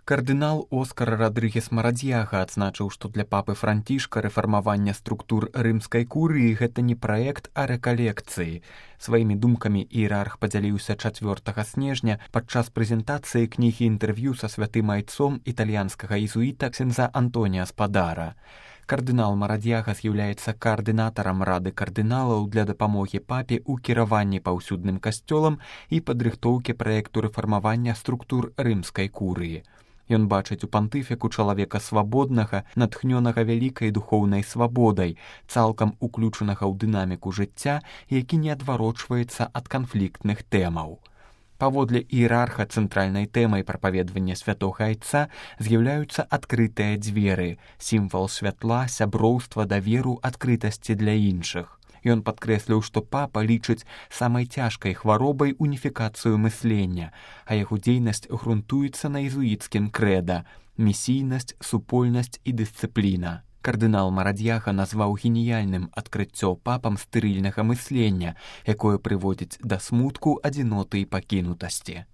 Кардынал Оскар Радрыгес Марадьяга адзначыў, што для папы Францішка рэфармаванне структур рымскай курыі гэта не праект, а рэкалекцыі. Сваімі думкамі іерарх падзяліўся 4 снежня падчас прэзентацыі кнігі інтэрв'ю са святым айцом італьянскага езуіта ксяндза Антонія Спадара. Кардынал Марадьяга з'яўляецца каардынатарам рады кардыналаў для дапамогі папе ў кіраванні паўсюдным касцёлам і падрыхтоўкі праекту рэфармавання структур рымскай курыі. Ён бачыць у пантыфіку чалавека свабоднага, натхнёнага вялікай духоўнай свабодай, цалкам уключанага ў дынаміку жыцця, які не адварочваецца ад канфліктных тэмаў. Паводле іерарха цэнтральнай тэмай прапаведвання святога айца з'яўляюцца адкрытыя дзверы, сімвал святла, сяброўства, даверу, адкрытасці для іншых. Ён падкрэсліў, што папа лічыць самай цяжкай хваробай уніфікацыю мыслення, а яго дзейнасць грунтуецца на езуіцкім крэда – місійнасць, супольнасць і дысцыпліна. Кардынал Марадьяга назваў геніяльным адкрыццё папам стэрыльнага мыслення, якое прыводзіць да смутку, адзіноты і пакінутасці.